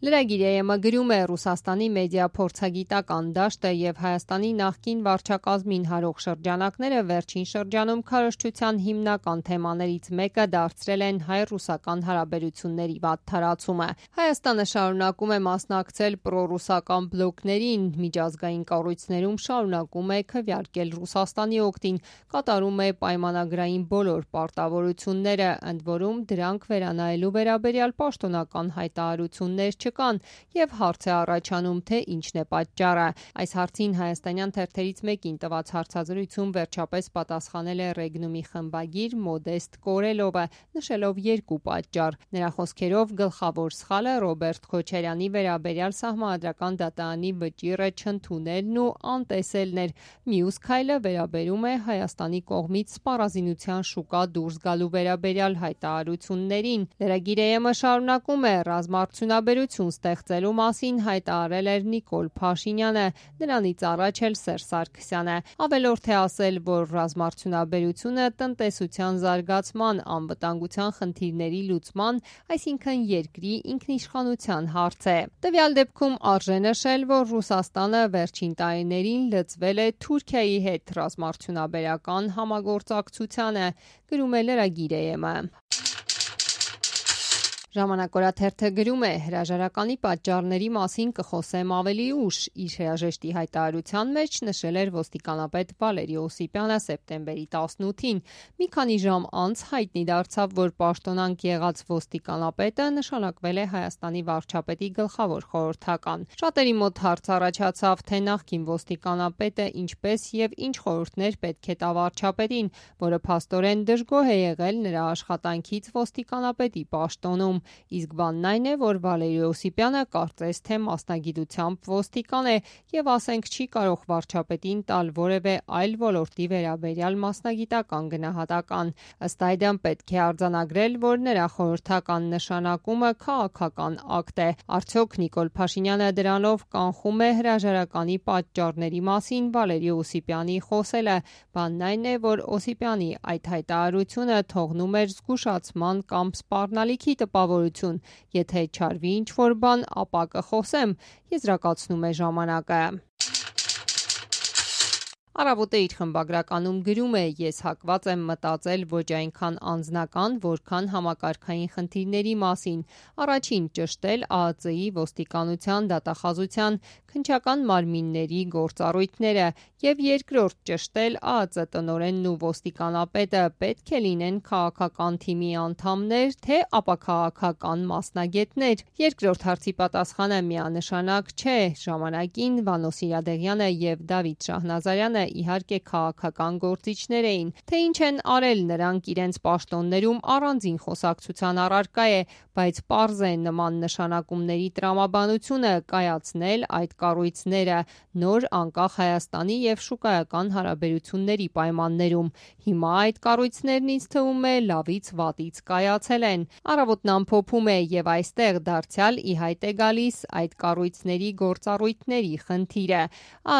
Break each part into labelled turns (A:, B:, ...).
A: Լրագիր ԵՄ գրում է Ռուսաստանի մեդիա փորձագիտական դաշտը եւ Հայաստանի նախկին վարչակազմին հարող շրջանակները վերջին շրջանում քարոզչության հիմնական թեմաներից մեկը դարձրել են հայ-ռուսական հարաբերությունների վատթարացումը։ Հայաստանը շարունակում է մասնակցել պրոռուսական բլոկներին, միջազգային կառույցներում շարունակում է քվեարկել Ռուսաստանի օգտին, կատարում է պայմանագրային բոլոր պարտավորությունները, ընդ որում դրանք վերանայելու վերաբերյալ պաշտոնական հայտարարություններ կան եւ հարց է առաջանում, թե ինչն է պատճառը։ Այս հարցին հայաստանյան թերթերից մեկին տված հարցազրույցում վերջապես պատասխանել է Ռեգնումի խմբագիր Մոդեստ Կորելովը, նշելով երկու պատճառ։ Նրա խոսքերով գլխավոր սխալը Ռոբերտ Քոչարյանի վերաբերյալ Սահմանադրական դատարանի վճիռը չընդունելն ու անտեսելն էր։ Մյուս քայլը վերաբերում է Հայաստանի կողմից սպառազինության շուկա դուրս գալու վերաբերյալ հայտարարություններին։ Լրագիր ԵՄ շարունակում է ռազմաարդյունաբերություն ստեղծելու մասին հայտարարել էր Նիկոլ Փաշինյանը, նրանից առաջ էլ Սերժ Սարգսյանը։ Ավելորդ է ասել, որ ռազմաարդյունաբերությունը տնտեսության զարգացման, անվտանգության խնդիրների լուծման, այսինքն երկրի ինքնիշխանության հարց է։ Տվյալ դեպքում արժե նշել, որ Ռուսաստանը վերջին տարիներին լծվել է Թուրքիայի հետ ռազմաարդյունաբերական համագործակցությանը, գրում է լրագիր ԵՄ։ Ժամանակ օրաթերթը գրում է. հրաժարականի պատճառների մասին կխոսեմ ավելի ուշ։ Իր հրաժեշտի հայտարարության մեջ նշել էր ոստիկանապետ Վալերի Օսիպյանը սեպտեմբերի 18-ին։ Մի քանի ժամ անց հայտնի դարձավ, որ պաշտոնանկ եղած ոստիկանապետը նշանակվել է Հայաստանի վարչապետի գլխավոր խորհրդական։ Շատերի մոտ հարց առաջացավ, թե նախկին ոստիկանապետը ինչպես եւ ինչ խորհուրդներ պետք է տա վարչապետին, որը փաստորեն դժգոհ է եղել նրա աշխատանքից ոստիկանապետի պաշտոնում։ Իսկ բանն այն է, որ Վալերի Օսիպյանը կարծես թե մասնագիտությամբ ոստիկան է եւ ասենք չի կարող վարչապետին տալ որևէ այլ ոլորտի վերաբերյալ մասնագիտական գնահատական։ Ըստ այդմ պետք է արձանագրել, որ նրա խորհրդական նշանակումը քաղաքական ակտ է։ Արդյոք Նիկոլ Փաշինյանը դրանով կանխում է հրաժարականի պատճառների մասին Վալերի Օսիպյանի խոսելը։ Բանն այն է, որ Օսիպյանի այդ հայտարարությունը թողնում էր զգուշացման կամ սպառնալիքի տպավորություն։ Եթե չարվի ինչ-որ բան, ապա կխոսեմ, եզրակացնում է ժամանակը։ Առավոտը իր խմբագրականում գրում է. ես հակված եմ մտածել ոչ այնքան անձնական, որքան համակարգային խնդիրների մասին։ Առաջին ճշտել ԱԱԾ-ի, ոստիկանության, դատախազության, քննչական մարմինների գործառույթները եւ երկրորդ ճշտել ԱԱԾ տնօրենն ու ոստիկանապետը պետք է լինեն քաղաքական թիմի անդամներ, թե ապաքաղաքական մասնագետներ։ Երկրորդ հարցի պատասխանը միանշանակ չէ։ Ժամանակին Վանո Սիրադեղյանը եւ Դավիթ Շահնազարյանը իհարկե քաղաքական գործիչներ էին, թե ինչ են արել նրանք իրենց պաշտոններում առանձին խոսակցության առարկա է, բայց պարզ է նման նշանակումների տրամաբանությունը կայացնել այդ կառույցները նոր անկախ Հայաստանի եւ շուկայական հարաբերությունների պայմաններում։ Հիմա այդ կառույցներն ինձ թվում է լավից վատից կայացել են։ Առավոտն ամփոփում է եւ այստեղ դարձյալ ի հայտ է գալիս այդ կառույցների գործառույթների խնդիրը։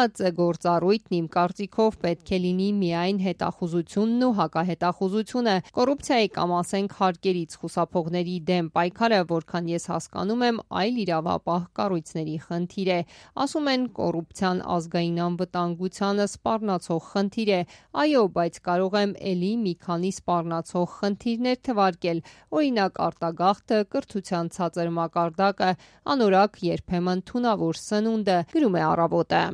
A: ԱԱԾ գործառույթն իմ կարծիքով պետք է լինի միայն հետախուզությունն ու հակահետախուզությունը, կոռուպցիայի կամ ասենք հարկերից խուսափողների դեմ պայքարը, որքան ես հասկանում եմ, այլ իրավապահ կառույցների խնդիր է։ Ասում են կոռուպցիան ազգային անվտանգությանը սպառնացող խնդիր է։ Այո, բայց կարող եմ էլի մի քանի սպառնացող խնդիրներ թվարկել, օրինակ արտագաղթը, կրթության ցածր մակարդակը, անորակ երբեմն թունավոր սնունդը, գրում է Առավոտը։